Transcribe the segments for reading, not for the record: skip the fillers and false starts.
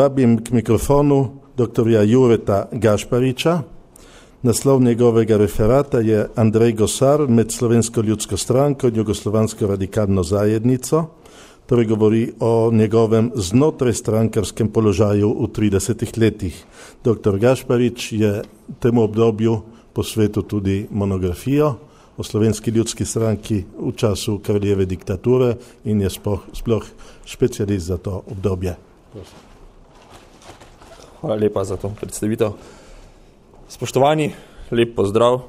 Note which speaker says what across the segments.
Speaker 1: Vabim k mikrofonu doktorja Jureta Gašpariča. Naslov njegovega referata je Andrej Gosar med Slovensko ljudsko stranko in Jugoslovansko radikalno zajednico, torej govori o njegovem znotrajstrankarskem položaju v 30 letih. Dr. Gašparič je temu obdobju posvetil tudi monografijo o Slovenski ljudski stranki v času kraljeve diktature in je sploh specialist za to obdobje. Prosim.
Speaker 2: Hvala lepa za to predstavitev. Spoštovani, lep pozdrav.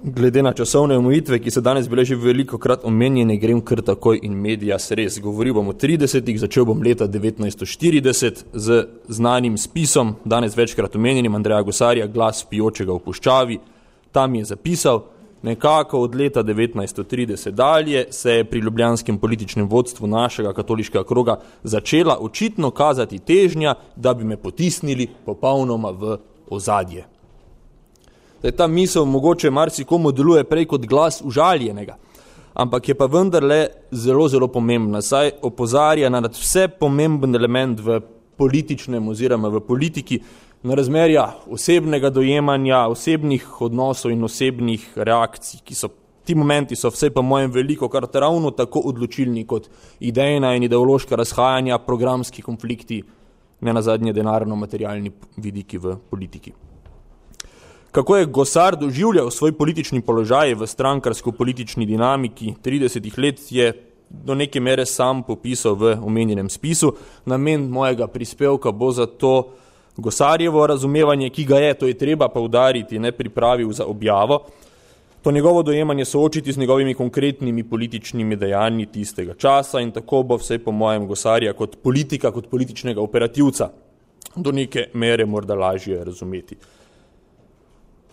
Speaker 2: Glede na časovne omejitve, ki so danes bile že velikokrat omenjene, grem kar takoj in medias res. Govoril bom o 30-ih, začel bom leta 1940 z znanim spisom, danes večkrat omenjenim Andreja Gosarja, Glas pijočega v puščavi. Tam je zapisal: nekako od leta 1930 dalje se je pri ljubljanskem političnem vodstvu našega katoliškega kroga začela očitno kazati težnja, da bi me potisnili popolnoma v ozadje. Ta misel mogoče marsikomu deluje prej kot glas užaljenega, ampak je pa vendarle zelo, zelo pomembna, saj opozarja na vse pomemben element v političnem oziroma v politiki, na razmerja osebnega dojemanja, osebnih odnosov in osebnih reakcij, ti momenti so vse pa mojem veliko krat ravno tako odločilni kot idejna in ideološka razhajanja, programski konflikti, ne nazadnje denarno-materialni vidiki v politiki. Kako je Gosar doživljal svoj politični položaj v strankarsko-politični dinamiki 30 let, je do neke mere sam popisal v omenjenem spisu. Namen mojega prispevka bo zato Gosarjevo razumevanje, ki ga je, to je treba poudariti, ne pripravil za objavo, to njegovo dojemanje soočiti z njegovimi konkretnimi političnimi dejanji tistega časa in tako bo vsej po mojem Gosarja kot politika, kot političnega operativca do neke mere morda lažje razumeti.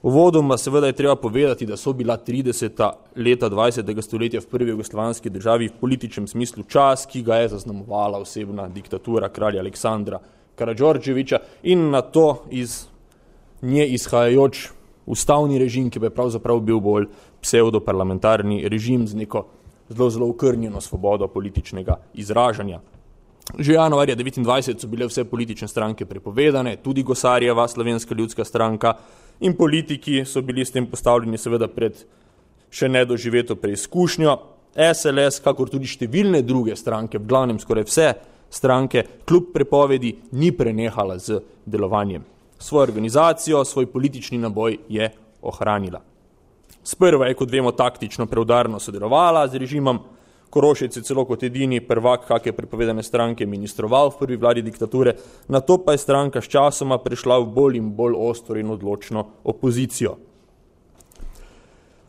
Speaker 2: Uvodoma seveda je treba povedati, da so bila 30. leta 20. stoletja v prvi jugoslovanski državi v političnem smislu čas, ki ga je zaznamovala osebna diktatura kralja Aleksandra Karađorđevića in na to iz nje izhajajoč ustavni režim, ki bi pravzaprav bil bolj pseudoparlamentarni režim z neko zelo, zelo okrnjeno svobodo političnega izražanja. Že januarja 1929 so bile vse politične stranke prepovedane, tudi Gosarjeva Slovenska ljudska stranka, in politiki so bili s tem postavljeni seveda pred še nedoživeto preizkušnjo. SLS, kakor tudi številne druge stranke, v glavnem skoraj vse stranke, kljub prepovedi ni prenehala z delovanjem. Svojo organizacijo, svoj politični naboj je ohranila. Sprva je, kot vemo, taktično preudarno sodelovala z režimom, Korošec je celo kot edini prvak kakšne prepovedane stranke ministroval v prvi vladi diktature, nato pa je stranka s časoma prešla v bolj in bolj ostro in odločno opozicijo.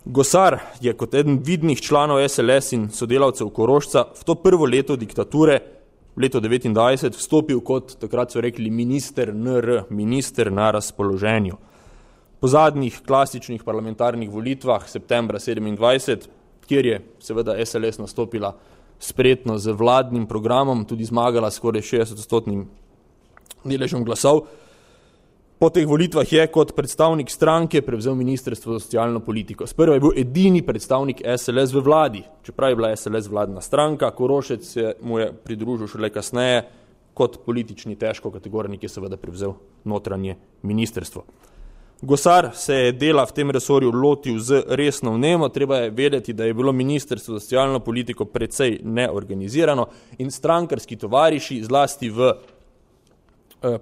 Speaker 2: Gosar je kot eden vidnih članov SLS in sodelavcev Korošca v to prvo leto diktature, leto 1929, vstopil kot, takrat so rekli, minister NR, minister na razpoloženju. Po zadnjih klasičnih parlamentarnih volitvah septembra 1927, kjer je seveda SLS nastopila spretno z vladnim programom, tudi zmagala skoraj 60% deležem glasov. Po teh volitvah je kot predstavnik stranke prevzel Ministrstvo za socialno politiko. Sprva je bil edini predstavnik SLS v vladi, čeprav je bila SLS vladna stranka, Korošec se mu je pridružil šele kasneje kot politični težko kategornik, je seveda prevzel notranje ministrstvo. Gosar se je dela v tem resorju lotil z resno vnemo, treba je vedeti, da je bilo Ministrstvo za socialno politiko precej neorganizirano in strankarski tovariši, zlasti v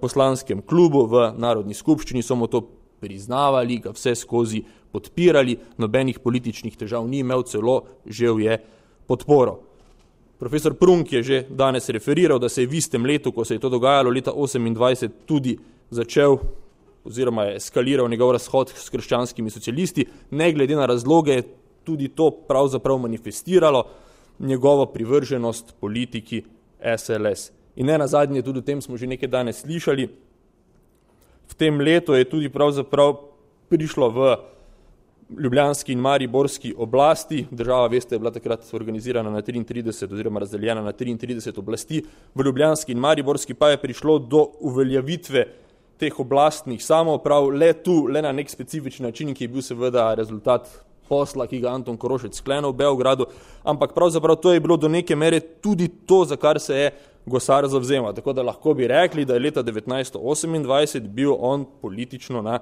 Speaker 2: poslanskem klubu, v Narodni skupščini, so mu to priznavali, ga vse skozi podpirali, nobenih političnih težav ni imel, celo žel je podporo. Profesor Prunk je že danes referiral, da se je v istem letu, ko se je to dogajalo, leta 1928, tudi začel oziroma je eskaliral njegov razhod s krščanskimi socialisti, ne glede na razloge, tudi to pravzaprav manifestiralo njegovo privrženost politiki SLS. In ne nazadnje, tudi o tem smo že nekaj danes slišali, v tem letu je tudi pravzaprav prišlo v ljubljanski in mariborski oblasti, država, veste, je bila takrat organizirana na 33 oziroma razdeljena na 33 oblasti, v ljubljanski in mariborski pa je prišlo do uveljavitve teh oblastnih samouprav, le na nek specifičen način, ki je bil seveda rezultat posla, ki ga Anton Korošec sklenil v Beogradu, ampak pravzaprav to je bilo do neke mere tudi to, za kar se je Gosar zavzema. Tako da lahko bi rekli, da je leta 1928 bil on politično na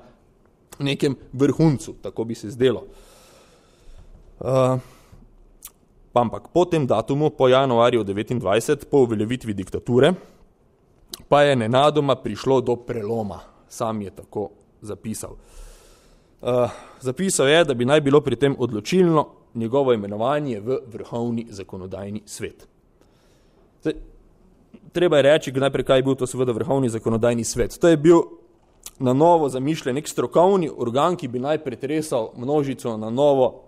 Speaker 2: nekem vrhuncu, tako bi se zdelo. Ampak po tem datumu, po januarju 29, po uveljavitvi diktature, pa je nenadoma prišlo do preloma. Sam je tako zapisal. Zapisal je, da bi naj bilo pri tem odločilno njegovo imenovanje v vrhovni zakonodajni svet. Zdaj, treba je reči, najprej, kaj je bil to seveda vrhovni zakonodajni svet. To je bil na novo zamišljen nek strokovni organ, ki bi naj pretresal množico na novo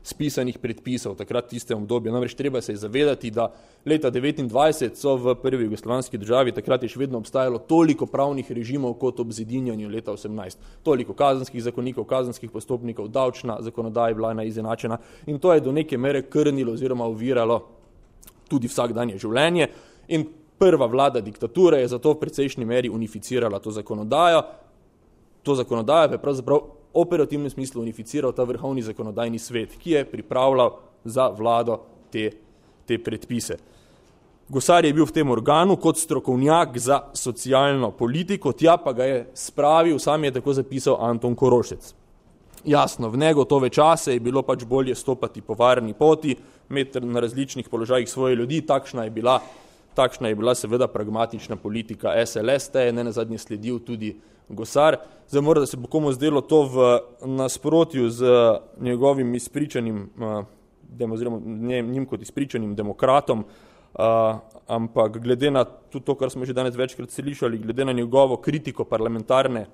Speaker 2: spisanih predpisov takrat tistem obdobju. Namreč treba se je zavedati, da leta 29 so v prvi jugoslovanski državi takrat je še vedno obstajalo toliko pravnih režimov kot ob zedinjanju leta 18. Toliko kazenskih zakonikov, kazenskih postopnikov, davčna zakonodaja je bila izenačena in to je do neke mere krnilo oziroma oviralo tudi vsakdanje življenje in prva vlada diktature je zato v precejšnji meri unificirala to zakonodajo. To zakonodajo je pravzaprav operativnem smislu unificiral ta vrhovni zakonodajni svet, ki je pripravljal za vlado te predpise. Gosar je bil v tem organu kot strokovnjak za socialno politiko, tja pa ga je spravil, sam je tako zapisal Anton Korošec. Jasno, v negotove čase je bilo pač bolje stopati po varni poti, imeti na različnih položajih svoje ljudi, takšna je bila seveda pragmatična politika SLS, te je nenazadnje sledil tudi Gosar. Zdaj mora, da se bo komu zdelo to v nasprotju z njegovim izpričanim, oziroma njim kot izpričanim demokratom, ampak glede na tudi to, kar smo že danes večkrat slišali, glede na njegovo kritiko parlamentarne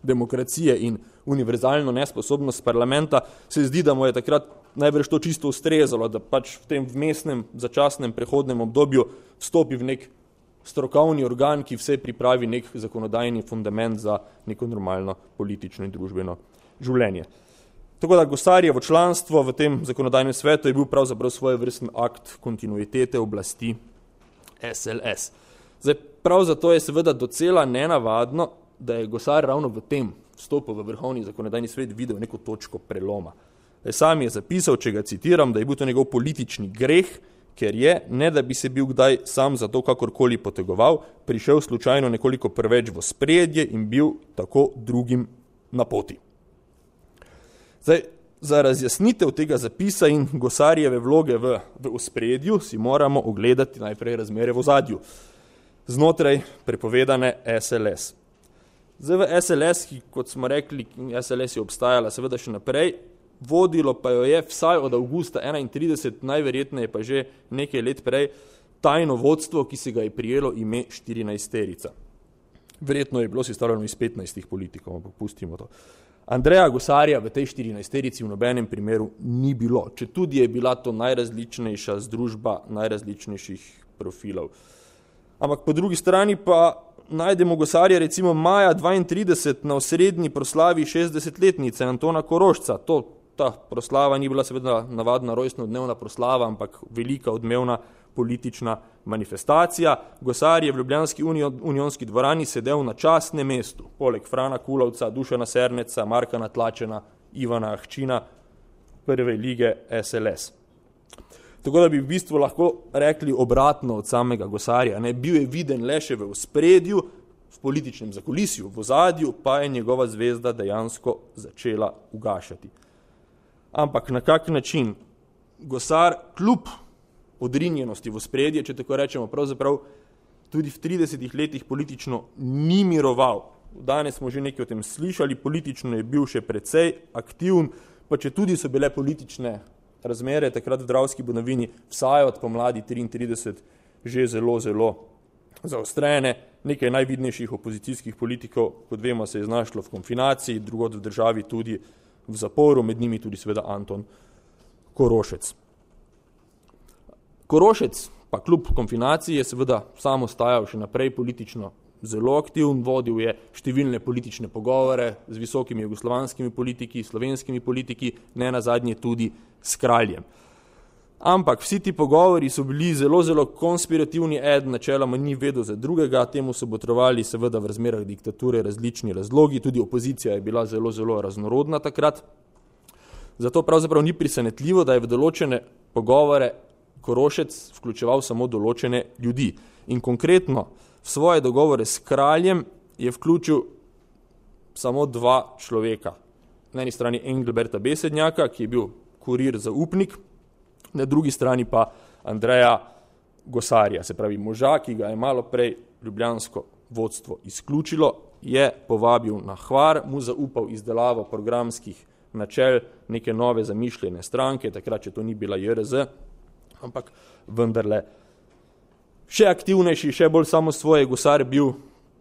Speaker 2: demokracije in univerzalno nesposobnost parlamenta, se zdi, da mu je takrat najbrž to čisto ustrezalo, da pač v tem vmesnem, začasnem, prehodnem obdobju vstopi v nek strokovni organ, ki vse pripravi nek zakonodajni fundament za neko normalno politično in družbeno življenje. Tako da Gosarjevo članstvo v tem zakonodajnem svetu je bil pravzaprav svojevrsten akt kontinuitete oblasti SLS. Zdaj, prav zato je seveda docela nenavadno, da je Gosar ravno v tem vstopu v vrhovni zakonodajni svet videl neko točko preloma. Sam je zapisal, če ga citiram, da je bil to njegov politični greh, ker je, ne da bi se bil kdaj sam za to kakorkoli potegoval, prišel slučajno nekoliko preveč v spredje in bil tako drugim na poti. Zdaj, za razjasnitev tega zapisa in Gosarjeve vloge v ospredju si moramo ogledati najprej razmere v ozadju znotraj prepovedane SLS. Zdaj v SLS, ki kot smo rekli, SLS je obstajala seveda še naprej, vodilo pa jo je vsaj od avgusta 31, najverjetneje pa že nekaj let prej, tajno vodstvo, ki se ga je prijelo ime 14-terica. Verjetno je bilo sestavljeno iz 15 politikov, ampak pustimo to. Andreja Gosarja v tej 14-terici v nobenem primeru ni bilo, če tudi je bila to najrazličnejša združba najrazličnejših profilov. Ampak po drugi strani pa najdemo Gosarja recimo maja 32 na osrednji proslavi 60-letnice Antona Korošca. Ta proslava ni bila seveda navadna rojstnodnevna proslava, ampak velika odmevna politična manifestacija. Gosar je v ljubljanski unionski dvorani sedel na častnem mestu, poleg Frana Kulovca, Dušana Serneca, Marka Natlačena, Ivana Ahčina, prve lige SLS. Tako da bi v bistvu lahko rekli obratno od samega Gosarja. Bil je viden le še v ospredju, v političnem zakulisju, v ozadju, pa je njegova zvezda dejansko začela ugašati. Ampak na kak način Gosar kljub odrinjenosti v ospredje, če tako rečemo, pravzaprav tudi v 30 letih politično ni miroval. Danes smo že nekaj o tem slišali, politično je bil še precej aktiven, pa če tudi so bile politične razmere takrat v Dravski Banovini vsaj od pomladi 33 že zelo zaostrene. Nekaj najvidnejših opozicijskih politikov, kot vemo, se je znašlo v konfinaciji, drugod v državi tudi v zaporu, med njimi tudi seveda Anton Korošec. Korošec pa kljub konfinaciji je seveda sam ostajal še naprej politično zelo aktiven, vodil je številne politične pogovore z visokimi jugoslovanskimi politiki, slovenskimi politiki, ne nazadnje tudi s kraljem. Ampak vsi ti pogovori so bili zelo konspirativni, eden načeloma ni vedel za drugega, temu so botrovali seveda v razmerah diktature različni razlogi, tudi opozicija je bila zelo raznorodna takrat. Zato pravzaprav ni presenetljivo, da je v določene pogovore Korošec vključeval samo določene ljudi. In konkretno v svoje dogovore s kraljem je vključil samo 2 človeka. Na eni strani Engelberta Besednjaka, ki je bil kurir zaupnik, na drugi strani pa Andreja Gosarja, se pravi moža, ki ga je malo prej ljubljansko vodstvo izključilo, je povabil na Hvar, mu zaupal izdelavo programskih načel neke nove zamišljene stranke, takrat, če to ni bila JRZ, ampak vendarle še aktivnejši, še bolj samosvoje. Gosar bil,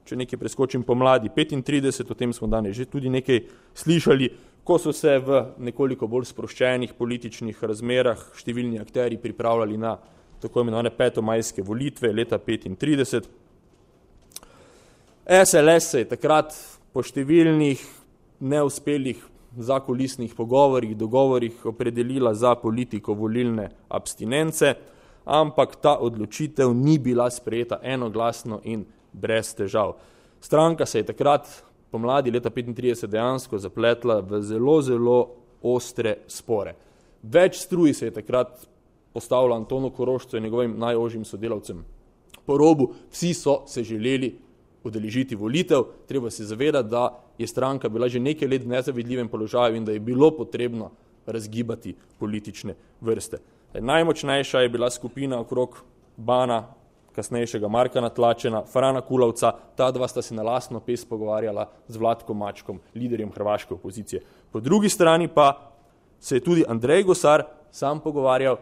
Speaker 2: če nekaj preskočim, pomladi 35, o tem smo danes že tudi nekaj slišali, ko so se v nekoliko bolj sproščenih političnih razmerah številni akteri pripravljali na tako imenovane petomajske volitve leta 35. SLS se je takrat po številnih neuspelih zakulisnih pogovorih, dogovorih opredelila za politiko volilne abstinence, ampak ta odločitev ni bila sprejeta enoglasno in brez težav. Stranka se je takrat pomladi leta 35 dejansko zapletla v zelo, zelo ostre spore. Več struj se je takrat postavilo Antonu Korošcu in njegovim najožjim sodelavcem po robu. Vsi so se želeli udeležiti volitev. Treba se zavedati, da je stranka bila že nekaj let v nezavidljivem položaju in da je bilo potrebno razgibati politične vrste. Najmočnejša je bila skupina okrog Bana, kasnejšega Marka Natlačena, Frana Kulovca. Ta 2 sta se na lastno pest pogovarjala z Vlatkom Mačkom, liderjem hrvaške opozicije. Po drugi strani pa se je tudi Andrej Gosar sam pogovarjal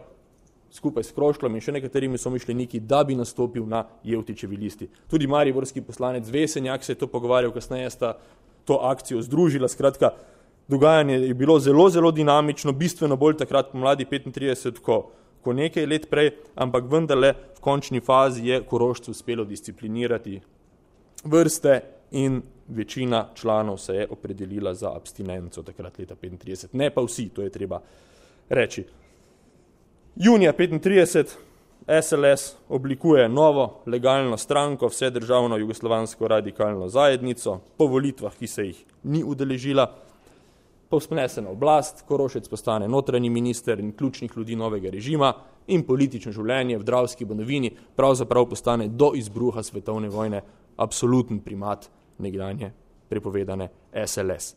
Speaker 2: skupaj s Krošlom in še nekaterimi somišljeniki, da bi nastopil na Jevtičevi listi. Tudi mariborski poslanec Vesenjak se je to pogovarjal, kasneje sta to akcijo združila. Skratka, dogajanje je bilo zelo, zelo dinamično, bistveno bolj takrat pomladi 35, ko nekaj let prej, ampak vendarle v končni fazi je Korošcu uspelo disciplinirati vrste in večina članov se je opredelila za abstinenco takrat leta 35. Ne pa vsi, to je treba reči. Junija 35 SLS oblikuje novo legalno stranko, vsedržavno jugoslovansko radikalno zajednico, po volitvah, ki se jih ni udeležila, povzpne na oblast, Korošec postane notranji minister in ključnih ljudi novega režima in politično življenje v Dravski Banovini pravzaprav postane do izbruha svetovne vojne absoluten primat nekdanje prepovedane SLS.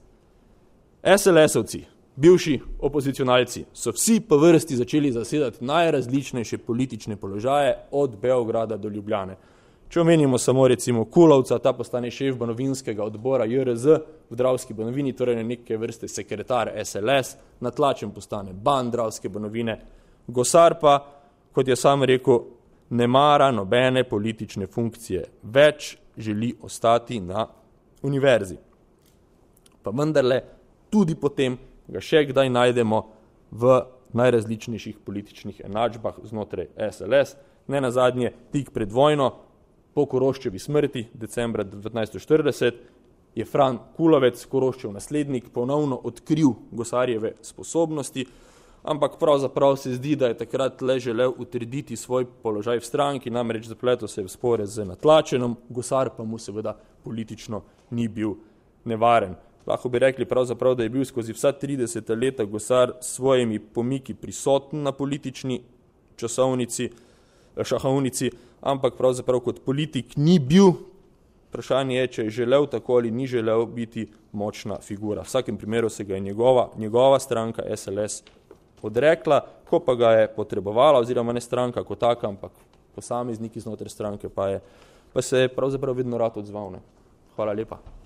Speaker 2: SLS-ovci, bivši opozicionalci, so vsi po vrsti začeli zasedati najrazličnejše politične položaje od Beograda do Ljubljane. Če omenimo samo recimo Kulovca, ta postane šef banovinskega odbora JRZ v Dravski Banovini, torej neke vrste sekretar SLS, Natlačen postane ban Dravske Banovine, Gosar pa, kot je sam rekel, ne mara nobene politične funkcije, več želi ostati na univerzi. Pa vendarle tudi potem ga še kdaj najdemo v najrazličnejših političnih enačbah znotraj SLS. Ne nazadnje, tik pred vojno, po Koroščevi smrti, decembra 1940, je Fran Kulovec, Koroščev naslednik, ponovno odkril Gosarjeve sposobnosti, ampak pravzaprav se zdi, da je takrat le želel utrditi svoj položaj v stranki, namreč zapletel se v spore z Natlačenom, Gosar pa mu seveda politično ni bil nevaren. Lahko bi rekli pravzaprav, da je bil skozi vsa 30 leta Gosar s svojimi pomiki prisoten na politični šahovnici, ampak pravzaprav kot politik ni bil. Vprašanje je, če je želel tako ali ni želel biti močna figura. V vsakem primeru se ga je njegova stranka SLS odrekla, ko pa ga je potrebovala, oziroma ne stranka kot taka, ampak posamezniki znotraj stranke pa se je pravzaprav vedno rad odzval. Hvala lepa.